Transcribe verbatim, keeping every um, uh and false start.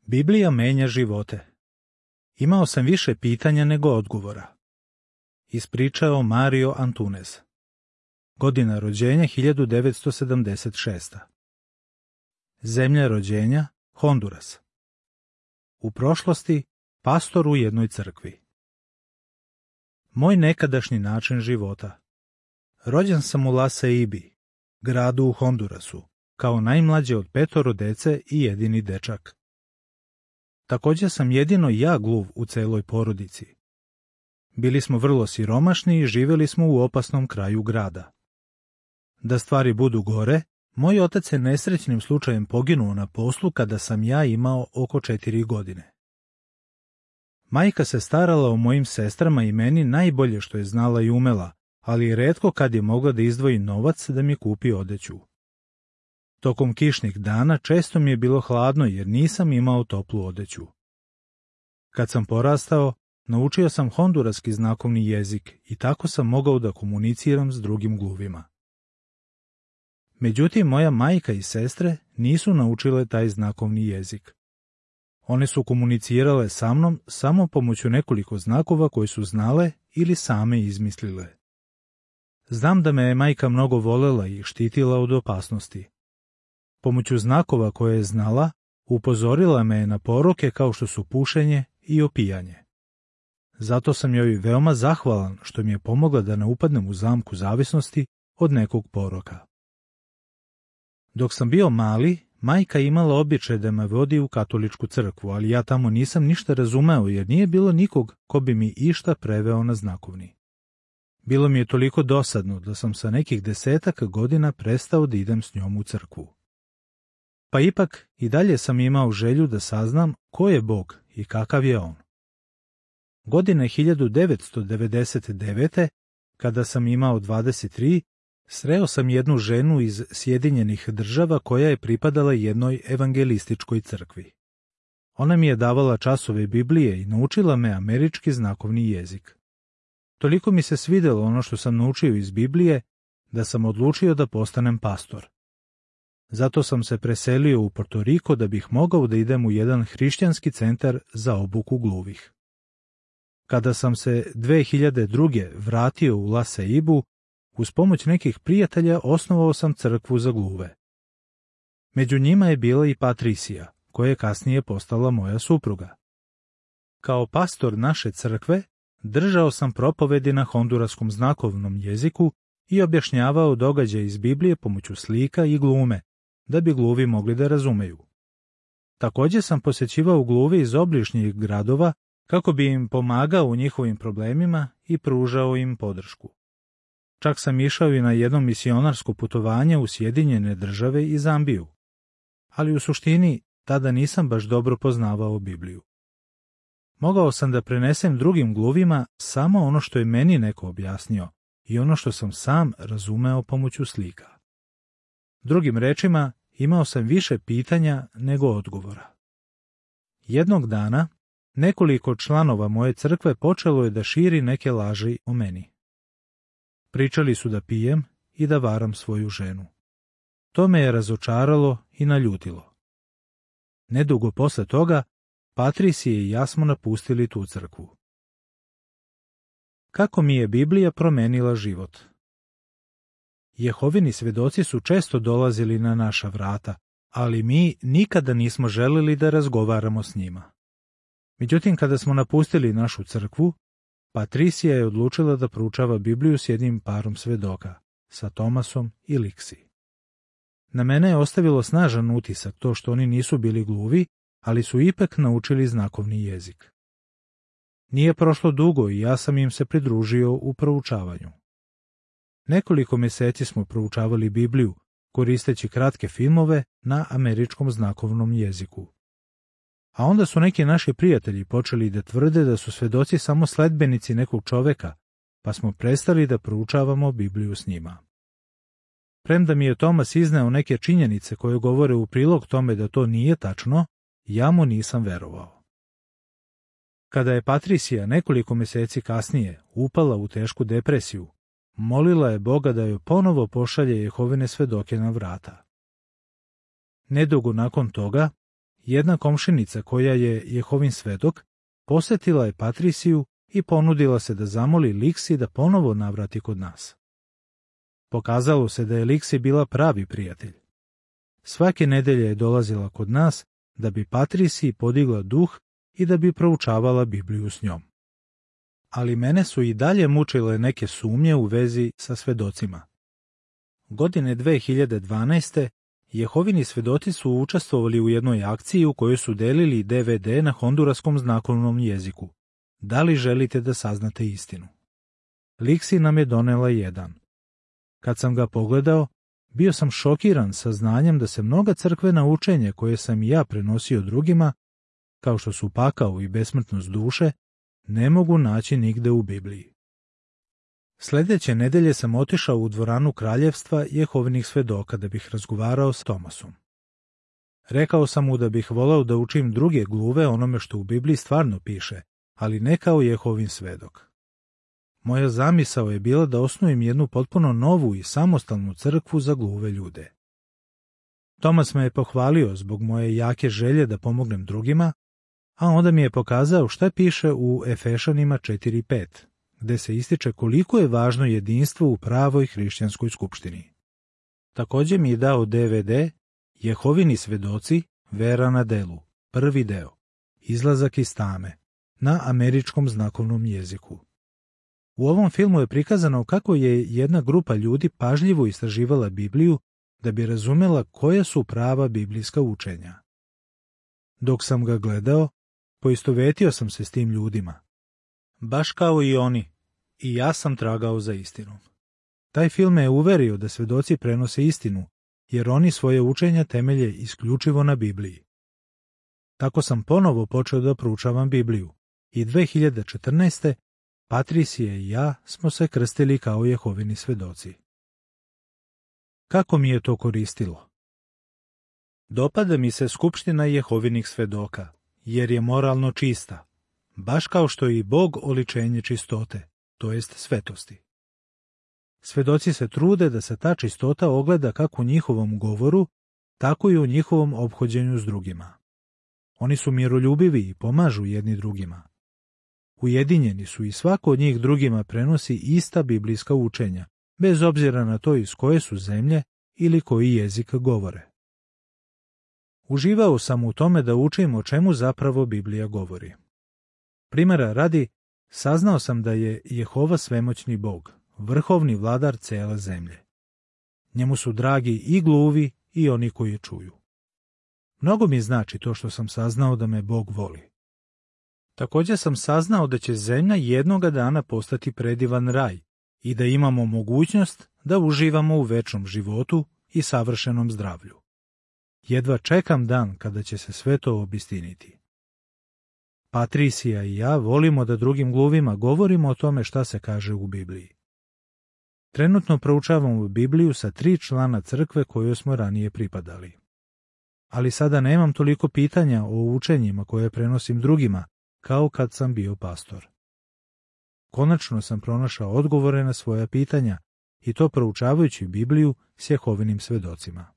Biblija menja živote. Imao sam više pitanja nego odgovora. Ispričao Mario Antunes. Godina rođenja hiljadu devetsto sedamdeset šesta. Zemlja rođenja Honduras. U prošlosti pastor u jednoj crkvi. Moj nekadašnji način života. Rođen sam u La Ceibi, gradu u Hondurasu, kao najmlađe od petoro dece i jedini dečak. Također sam jedino ja gluv u celoj porodici. Bili smo vrlo siromašni i živjeli smo u opasnom kraju grada. Da stvari budu gore, moj otac je nesrećnim slučajem poginuo na poslu kada sam ja imao oko četiri godine. Majka se starala o mojim sestrama i meni najbolje što je znala i umela, ali retko kad je mogla da izdvoji novac da mi kupi odeću. Tokom kišnih dana često mi je bilo hladno jer nisam imao toplu odeću. Kad sam porastao, naučio sam honduraski znakovni jezik i tako sam mogao da komuniciram s drugim gluvima. Međutim, moja majka i sestre nisu naučile taj znakovni jezik. One su komunicirale sa mnom samo pomoću nekoliko znakova koje su znale ili same izmislile. Znam da me je majka mnogo volela i štitila od opasnosti. Pomoću znakova koje je znala, upozorila me je na poroke kao što su pušenje i opijanje. Zato sam joj veoma zahvalan što mi je pomogla da ne upadnem u zamku zavisnosti od nekog poroka. Dok sam bio mali, majka imala običaj da me vodi u katoličku crkvu, ali ja tamo nisam ništa razumeo jer nije bilo nikog ko bi mi išta preveo na znakovni. Bilo mi je toliko dosadno da sam sa nekih desetak godina prestao da idem s njom u crkvu. Pa ipak i dalje sam imao želju da saznam ko je Bog i kakav je On. Godine hiljadu devetsto devedeset devete. kada sam imao dvadeset tri, sreo sam jednu ženu iz Sjedinjenih Država koja je pripadala jednoj evangelističkoj crkvi. Ona mi je davala časove Biblije i naučila me američki znakovni jezik. Toliko mi se svidelo ono što sam naučio iz Biblije da sam odlučio da postanem pastor. Zato sam se preselio u Porto Riko da bih mogao da idem u jedan hrišćanski centar za obuku gluvih. Kada sam se dve hiljade druge. vratio u La Ceibu, uz pomoć nekih prijatelja osnovao sam crkvu za gluve. Među njima je bila i Patricija, koja je kasnije postala moja supruga. Kao pastor naše crkve, držao sam propovedi na honduraskom znakovnom jeziku i objašnjavao događaje iz Biblije pomoću slika i glume, da bi gluvi mogli da razumeju. Također sam posjećivao gluve iz obližnjih gradova kako bi im pomagao u njihovim problemima i pružao im podršku. Čak sam išao i na jedno misionarsko putovanje u Sjedinjene Države i Zambiju. Ali u suštini tada nisam baš dobro poznavao Bibliju. Mogao sam da prenesem drugim gluvima samo ono što je meni neko objasnio i ono što sam sam razumeo pomoću slika. Drugim rečima, imao sam više pitanja nego odgovora. Jednog dana, nekoliko članova moje crkve počelo je da širi neke laži o meni. Pričali su da pijem i da varam svoju ženu. To me je razočaralo i naljutilo. Nedugo posle toga, Patricija i ja smo napustili tu crkvu. Kako mi je Biblija promenila život? Jehovini svedoci su često dolazili na naša vrata, ali mi nikada nismo želeli da razgovaramo s njima. Međutim, kada smo napustili našu crkvu, Patricija je odlučila da proučava Bibliju s jednim parom svedoka, sa Tomasom i Liksi. Na mene je ostavilo snažan utisak to što oni nisu bili gluvi, ali su ipak naučili znakovni jezik. Nije prošlo dugo i ja sam im se pridružio u proučavanju. Nekoliko mjeseci smo proučavali Bibliju, koristeći kratke filmove na američkom znakovnom jeziku. A onda su neki naši prijatelji počeli da tvrde da su svedoci samo sledbenici nekog čoveka, pa smo prestali da proučavamo Bibliju s njima. Premda mi je Tomas izneo neke činjenice koje govore u prilog tome da to nije tačno, ja mu nisam verovao. Kada je Patricija nekoliko mjeseci kasnije upala u tešku depresiju, molila je Boga da joj ponovo pošalje Jehovine svedoke na vrata. Nedugo nakon toga, Jedna komšinica koja je Jehovin svedok posjetila je Patrisiju i ponudila se da zamoli Liksi da ponovo navrati kod nas. Pokazalo se da je Liksi bila pravi prijatelj. Svake nedelje je dolazila kod nas da bi Patrisiji podigla duh i da bi proučavala Bibliju s njom. Ali mene su i dalje mučile neke sumnje u vezi sa svedocima. Godine dve hiljade dvanaeste. Jehovini svedoci su učestvovali u jednoj akciji u kojoj su delili de ve de na honduraskom znakovnom jeziku. Da li želite da saznate istinu? Liksi nam je donela jedan. Kad sam ga pogledao, bio sam šokiran sa znanjem da se mnoga crkvena učenja koje sam i ja prenosio drugima, kao što su pakao i besmrtnost duše, ne mogu naći nigde u Bibliji. Sljedeće nedelje sam otišao u dvoranu kraljevstva Jehovinih svedoka da bih razgovarao s Tomasom. Rekao sam mu da bih voleo da učim druge gluve onome što u Bibliji stvarno piše, ali ne kao Jehovin svedok. Moja zamisao je bila da osnujem jednu potpuno novu i samostalnu crkvu za gluve ljude. Tomas me je pohvalio zbog moje jake želje da pomognem drugima, a onda mi je pokazao šta piše u Efešanima četiri pet, gde se ističe koliko je važno jedinstvo u pravoj hrišćanskoj skupštini. Također mi je dao de ve de Jehovini svedoci, vera na delu, prvi deo, izlazak iz tame, na američkom znakovnom jeziku. U ovom filmu je prikazano kako je jedna grupa ljudi pažljivo istraživala Bibliju da bi razumela koja su prava biblijska učenja. Dok sam ga gledao, poistovetio sam se s tim ljudima. Baš kao i oni, i ja sam tragao za istinom. Taj film me je uverio da svedoci prenose istinu, jer oni svoje učenja temelje isključivo na Bibliji. Tako sam ponovo počeo da proučavam Bibliju i dve hiljade četrnaeste. Patrisija i ja smo se krstili kao Jehovini svedoci. Kako mi je to koristilo? Dopada mi se skupština Jehovinih svedoka, jer je moralno čista, baš kao što je i Bog oličenje čistote, to jest svetosti. Svedoci se trude da se ta čistota ogleda kako u njihovom govoru, tako i u njihovom ophođenju s drugima. Oni su miroljubivi i pomažu jedni drugima. Ujedinjeni su i svako od njih drugima prenosi ista biblijska učenja, bez obzira na to iz koje su zemlje ili koji jezik govore. Uživao sam u tome da učim o čemu zapravo Biblija govori. Primjera radi, saznao sam da je Jehova svemoćni Bog, vrhovni vladar cele zemlje. Njemu su dragi i gluvi i oni koji čuju. Mnogo mi znači to što sam saznao da me Bog voli. Također sam saznao da će zemlja jednoga dana postati predivan raj i da imamo mogućnost da uživamo u večnom životu i savršenom zdravlju. Jedva čekam dan kada će se sve to obistiniti. Patrisija i ja volimo da drugim gluvima govorimo o tome šta se kaže u Bibliji. Trenutno proučavamo Bibliju sa tri člana crkve kojoj smo ranije pripadali. Ali sada nemam toliko pitanja o učenjima koje prenosim drugima, kao kad sam bio pastor. Konačno sam pronašao odgovore na svoja pitanja i to proučavajući Bibliju s Jehovinim svedocima.